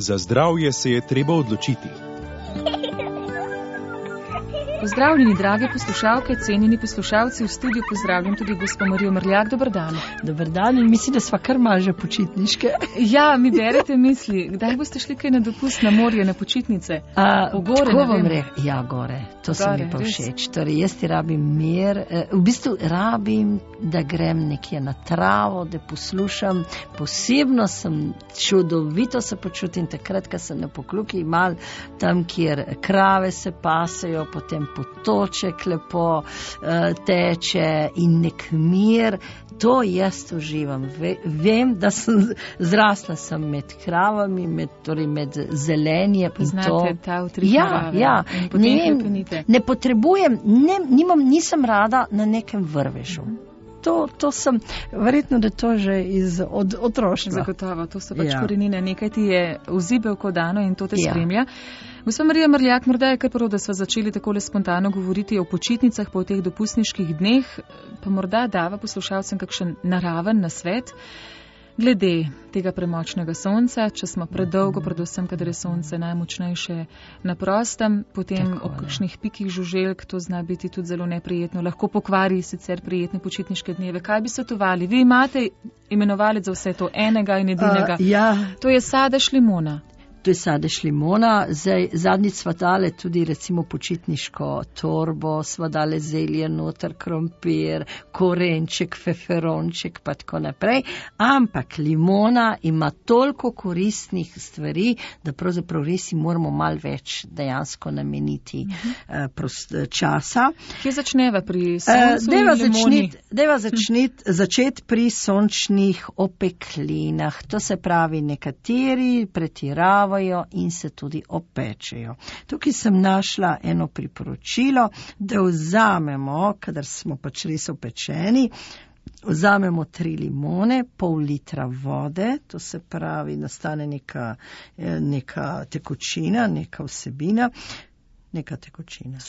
Za zdravje se je treba odločiti. Pozdravljeni, drage poslušalke, cenjeni poslušalci, v studiu pozdravljam tudi gospo Marijo Mrljak. Dober dan. Dober dan in mislim, da sva kar malo že počitniške. Ja, mi berete misli. Kdaj boste šli kaj na dopust na morje, na počitnice? V gore, ne vem. Ja, gore. To se mi pa všeč. Torej, jaz ti rabim mir. V bistvu rabim, da grem nekje na travo, da poslušam. Posebno sem čudovito se počutim takrat, ko sem na Pokljuki mal, tam, kjer krave se pasejo, potem potoček lepo teče in nek mir. To jaz uživam. Vem, da sem zrasla sem med kravami, med zelenjem. Poznate ta utrip narave. Ja. Ne potrebujem, nisem rada na nekem vrvežu. To sem, verjetno, da to že od otroštva. Zagotovo, to so pač korenine. Nekaj ti je vzibelko dano in to te spremlja. Gospa Marija Mrljak, morda je kar prav, da sva začeli takole spontano govoriti o počitnicah po teh dopustniških dneh, pa morda dava poslušalcem kakšen naraven nasvet glede tega premočnega sonca, če smo predolgo, predvsem, kadar je sonce najmočnejše na prostem, potem ob kakšnih pikih žuželk, to zna biti tudi zelo neprijetno, lahko pokvari sicer prijetne počitniške dneve. Kaj bi svetovali? Vi imate imenovalec za vse to, enega in edinega. To je sadež limona. To je sadež limona. Zadnjič sva dale tudi recimo počitniško torbo, sva dale zelje noter, krompir, korenček, feferonček pa tako naprej. Ampak limona ima toliko koristnih stvari, da pravzaprav res moramo malo več dejansko nameniti časa. Kje začneva pri soncu in limoni? Deva začeti pri sončnih opeklinah. To se pravi, nekateri pretiravajo in se tudi opečejo. Tukaj sem našla eno priporočilo, da vzamemo, kadar smo pač res opečeni, vzamemo 3 limone, pol litra vode, to se pravi, nastane neka tekočina, neka vsebina, neka tekočina.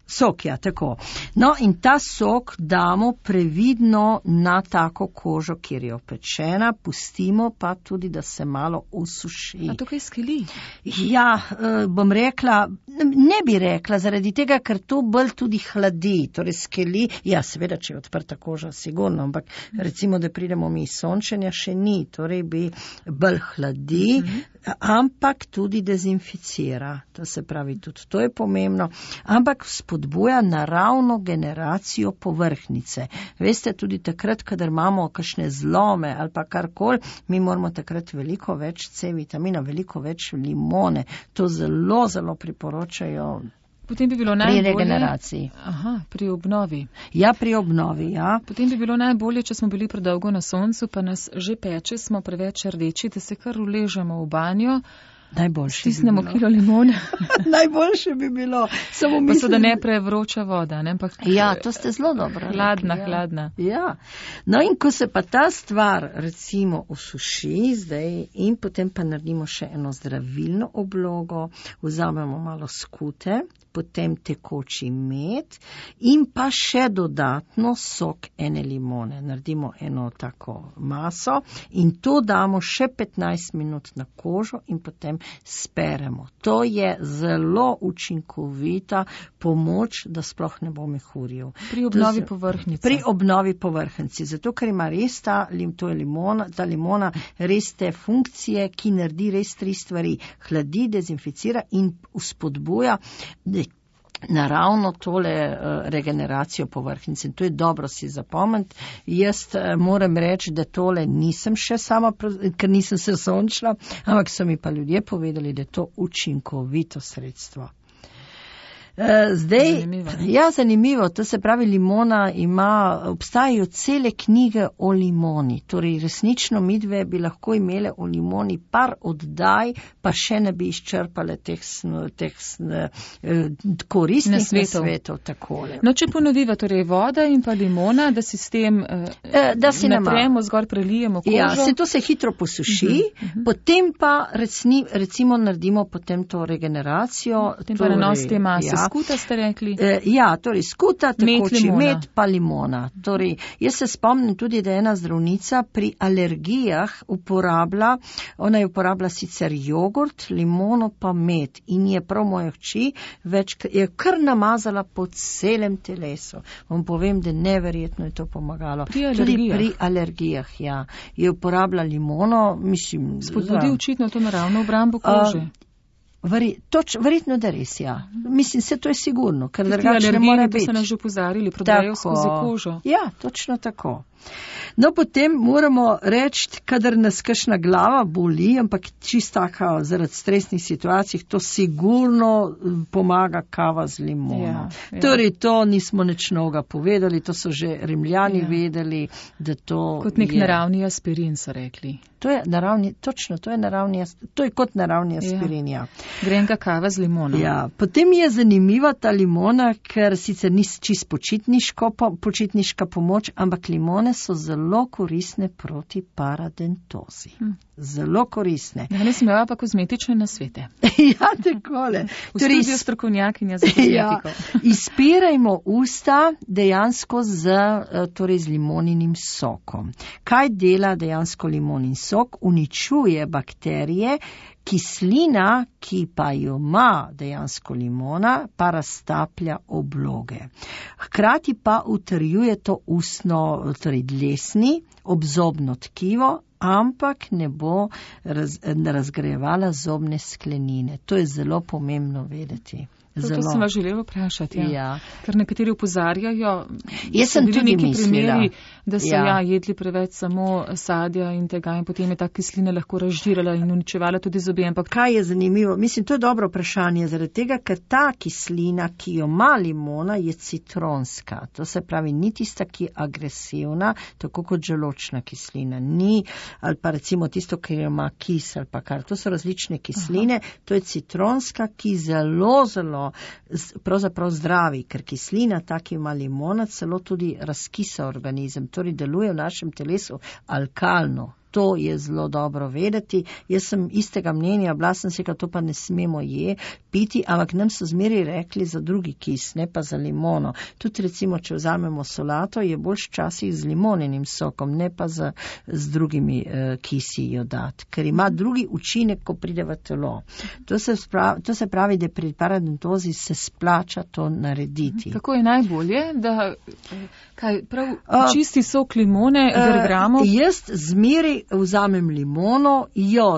Sok, ja, tako. No, in ta sok damo previdno na tako kožo, kjer je opečena, pustimo pa tudi, da se malo usuši. A to kaj skeli? Ja, bom rekla, ne bi rekla, zaradi tega, ker to bolj tudi hladi, torej skeli, ja, seveda, če je odprta koža, sigurno, ampak recimo, da pridemo mi iz sončenja, še ni, torej bi bolj hladi, ampak tudi dezinficira, to se pravi, tudi to je pomembno, ampak spodbuja naravno generacijo povrhnjice. Veste, tudi takrat, kadar imamo kakšne zlome ali pa karkoli, mi moramo takrat veliko več C vitamina, veliko več limone. To zelo, zelo priporočajo Potem bi bilo pri regeneraciji. Pri obnovi. Ja, pri obnovi, ja. Potem bi bilo najbolje, če smo bili predolgo na soncu, pa nas že peče, smo preveč rdeči, da se kar uležemo v banjo. Najboljše stisnemo kilo limone. Najboljše bi bilo. Pa so da ne prevroča voda, ne? Ja, to ste zelo dobro. Hladna. Ja. No in ko se pa ta stvar recimo osuši zdaj in potem pa naredimo še eno zdravilno oblogo, vzamemo malo skute, potem tekoči med in pa še dodatno sok ene limone. Naredimo eno tako maso in to damo še 15 minut na kožo in potem speremo. To je zelo učinkovita pomoč, da sploh ne bo mehurjev. Pri obnovi povrhnjice. Pri obnovi povrhnjice. Zato, ker ima res ta limona res te funkcije, ki naredi res 3 stvari. Hladi, dezinficira in spodbuja naravno tole regeneracijo povrhnjice. In to je dobro si zapomniti. Jaz moram reči, da tole nisem še sama, ker nisem se sončila, ampak so mi pa ljudje povedali, da je to učinkovito sredstvo. Zanimivo. To se pravi, limona obstajajo cele knjige o limoni. Torej, resnično midve bi lahko imele o limoni par oddaj, pa še ne bi izčrpale teh koristnih nasvetov takole. No, če ponoviva, torej voda in pa limona, da si s tem natremo, zgor prelijemo kožo. Ja, to se hitro posuši, potem pa recimo naredimo potem to regeneracijo. Potem pa nanos te mase. skuta ste rekli? Torej skuta, tekoči med pa limona. Torej, jaz se spomnim tudi, da ena zdravnica pri alergijah ona je uporabila sicer jogurt, limono pa med in je prav moje hči je kar namazala po celem telesu. Vam povem, da neverjetno je to pomagalo. Tudi pri alergijah, ja. Je uporabila limono, mislim... Spodbudi očitno to naravno obrambo kože. Verjetno, da res, ja. Mislim, se to je sigurno, ker drugače ne more biti. To so nas že opozarjali, prodajo skozi kožo. Ja, točno tako. No, potem moramo reči, kadar nas kakšna glava boli, ampak čisto tako zaradi stresnih situacij, to sigurno pomaga kava z limono. Ja. Torej, to nismo nič novega povedali, to so že Rimljani vedeli, da to kot nek naravni aspirin, so rekli. To je naravni, točno, to je kot naravni aspirin, ja. Grenka kava z limono. Ja, potem je zanimiva ta limona, ker sicer ni čist počitniška pomoč, ampak limone so zelo koristne proti paradentozi. Zelo koristne. Ja, nisem imela pa kozmetične nasvete. Ja, takole. V studiu strokovnjakinja za kozmetiko. Ja, izpirajmo usta dejansko z limoninim sokom. Kaj dela dejansko limonin sok? Uničuje bakterije, kislina, ki pa jo ima dejansko limona, pa raztaplja obloge. Hkrati pa utrjuje to ustno, torej dlesni, obzobno tkivo, ampak ne bo razgrajevala zobne sklenine. To je zelo pomembno vedeti. To sem vas želela vprašati, ja. Ker nekateri opozarjajo, jaz sem tudi primeri, da so jedli preveč samo sadja in tega in potem je ta kislina lahko razžirala in uničevala tudi zobe. Ampak kaj je zanimivo? Mislim, to je dobro vprašanje, zaradi tega, ker ta kislina, ki jo ima limona, je citronska. To se pravi, ni tista, ki je agresivna, tako kot želočna kislina. Ni, ali pa recimo tisto, ki jo ima kis ali pa kar. To so različne kisline. Aha. To je citronska, ki zelo pravzaprav zdravi, ker kislina, ta, ki ima limona, celo tudi razkisa organizem, torej deluje v našem telesu alkalno. To je zelo dobro vedeti. Jaz sem istega mnenja, bila sem si, da to pa ne smemo piti, ampak nam so zmeri rekli za drugi kis, ne pa za limono. Tudi recimo, če vzamemo solato, je boljš časih z limoninim sokom, ne pa z drugimi kisi jo dati, ker ima drugi učinek, ko pride v telo. To se pravi, da pri paradentozi se splača to narediti. Kako je najbolje, da prav čisti sok limone grgramo? Jaz zmeri vzamem limono,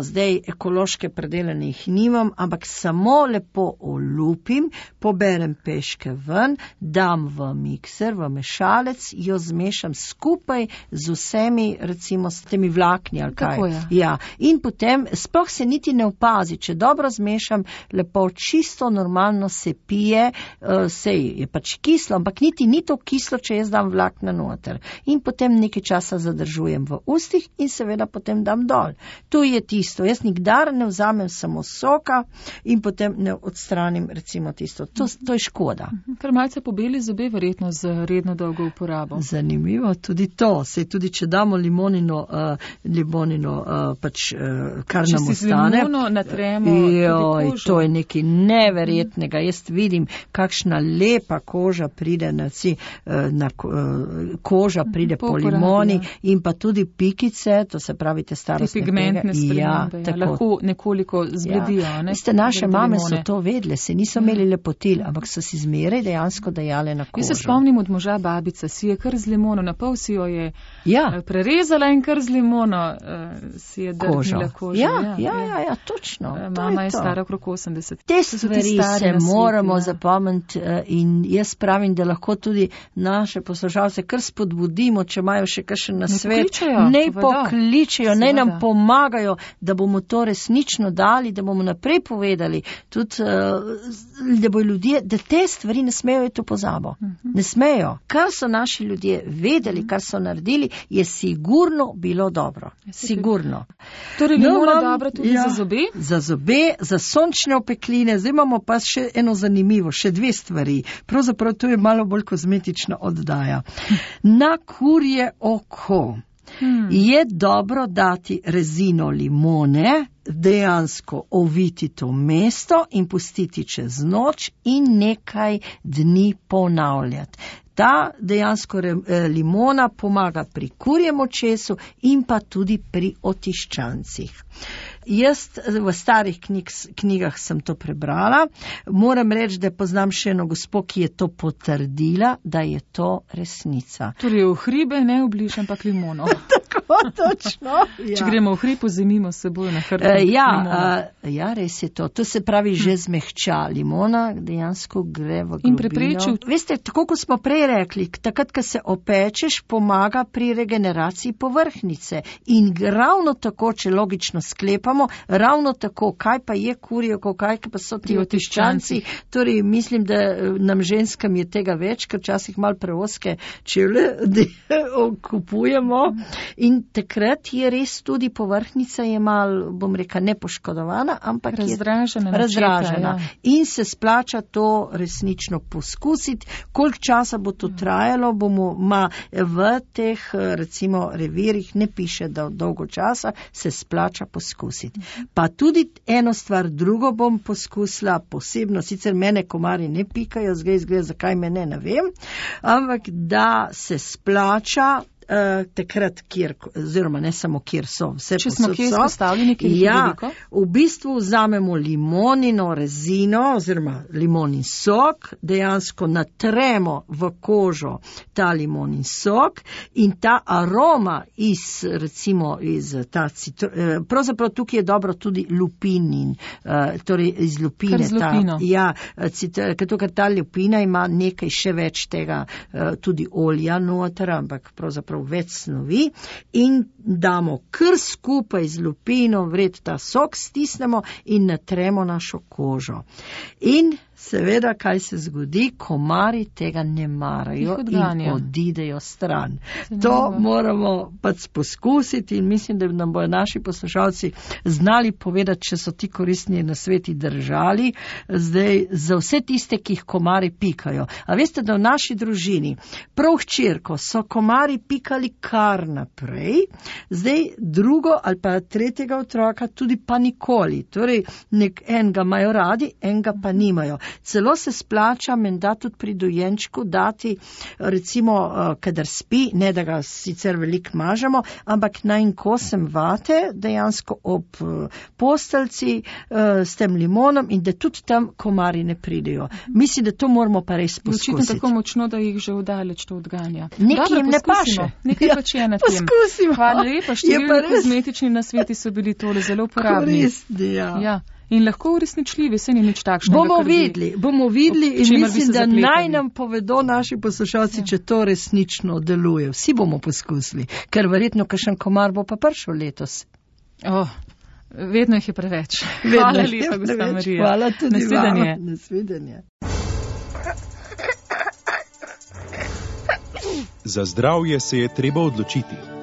zdaj ekološke predelanih nimam, ampak samo lepo olupim, poberem peške ven, dam v mikser, v mešalec, jo zmešam skupaj z vsemi, recimo s temi vlakni ali kaj. Tako je. Ja. In potem sploh se niti ne opazi, če dobro zmešam, lepo čisto normalno se pije, sej je pač kislo, ampak niti ni to kislo, če jaz dam vlakna noter. In potem nekaj časa zadržujem v ustih in seveda potem dam dol. To je tisto. Jaz nikdar ne vzamem samo soka in potem ne odstranim recimo tisto. To je škoda. Ker malce pobeli zobe verjetno z redno dolgo uporabo. Zanimivo tudi to. Sej tudi, če damo limonino pač kar nam ostane. Če si z limono natremo tudi kožo. To je nekaj neverjetnega. Jaz vidim, kakšna lepa koža pride koža pride po limoni in pa tudi pikice, to se pravi te starostne pigmentne spremembe, lahko nekoliko zbledijo. Ja. Naše mame so to vedle, se niso imeli lepotil, ampak so si zmeraj dejansko dajale na kožo. Jaz se spomnim od moža babica, si je kar z limono, na pol si jo je prerezala in kar z limono si je drgnila kožo. Ja, točno. Mama je stara okrog 80. Te stvari se moramo zapomniti in jaz pravim, da lahko tudi naše poslušalce kar spodbudimo, če imajo še kakšen nasvet. Ne pokličejo, naj nam pomagajo, da bomo to resnično dali, da bomo naprej povedali, tudi, da bojo ljudje, da te stvari ne smejo iti v pozabo. Ne smejo. Kar so naši ljudje vedeli, kar so naredili, je sigurno bilo dobro. Sigurno. Torej, limona dobra tudi za zobe? Za zobe, za sončne opekline. Zdaj imamo pa še eno zanimivo, še dve stvari. Pravzaprav to je malo bolj kozmetična oddaja. Na kurje oko Je dobro dati rezino limone, dejansko oviti to mesto in pustiti čez noč in nekaj dni ponavljati. Ta dejansko limona pomaga pri kurjem očesu in pa tudi pri otiščancih. Jaz v starih knjigah sem to prebrala. Moram reči, da poznam še eno gospo, ki je to potrdila, da je to resnica. Torej v hribe ne obliž, ampak limono. Tako, točno. Če gremo v hrib, vzemimo s seboj na hrbet limono. Ja, res je to. To se pravi že zmehča. Limona dejansko gre v globino. In preprečil. Veste, tako kot smo prej rekli, takrat, ko se opečeš, pomaga pri regeneraciji povrhnjice. In ravno tako, če logično sklepamo, ravno tako, kaj pa je kurjeko, kaj pa so ti otiščanci. Torej, mislim, da nam ženskam je tega več, ker včasih malo preoske čevlje kupujemo. In takrat je res tudi povrhnjica je malo, bom rekla, nepoškodovana, ampak razdražena. Ja. In se splača to resnično poskusiti. Koliko časa bo to trajalo, bomo v teh, recimo, revirih ne piše, da dolgo časa se splača poskusiti. Pa tudi eno stvar, drugo bom poskusila posebno, sicer mene komarji ne pikajo, zgleda, zakaj me ne vem, ampak da se splača takrat, kjer, oziroma ne samo kjer so, vse če smo kje izpostavljeni, kjer je veliko? V bistvu vzamemo limonino rezino oziroma limonin sok, dejansko natremo v kožo ta limonin sok in ta aroma recimo iz ta pravzaprav tukaj je dobro tudi lupinin, torej iz lupine. Kar z lupino. Ker ta lupina ima nekaj še več tega, tudi olja noter, ampak pravzaprav več snovi in damo kar skupaj z lupino vred ta sok, stisnemo in natremo našo kožo. In seveda, kaj se zgodi, komarji tega ne marajo in odidejo stran. To moramo pač poskusiti in mislim, da nam bojo naši poslušalci znali povedati, če so ti koristni nasveti držali, zdaj za vse tiste, ki jih komarji pikajo. A veste, da v naši družini prav hčerko so komarji pikali kar naprej, zdaj drugo ali pa tretjega otroka tudi pa nikoli. Torej, enega imajo radi, enega pa nimajo. Celo se splača menda tudi pri dojenčku dati, recimo, kadar spi, ne da ga sicer veliko mažemo, ampak najn kosem vate, dejansko ob posteljci s tem limonom in da tudi tam komarji ne pridejo. Mislim, da to moramo pa res poskusiti. Očitno tako močno, da jih že vdaleč to odganja. Nekaj jim ne paše. Nekaj pač je na tem. Poskusimo. Hvala lepa, številni kozmetični nasveti so bili tole zelo uporabni. Koristni, ja. In lahko uresničljivi, se ni nič takšnega. Bomo videli in mislim, da naj nam povedo naši poslušalci, če to resnično deluje. Vsi bomo poskusili, ker verjetno kakšen komar bo pa prišel letos. Vedno jih je preveč. Hvala lepa, gospa Marija. Hvala tudi vam. Nasvidenje. Za zdravje se je treba odločiti.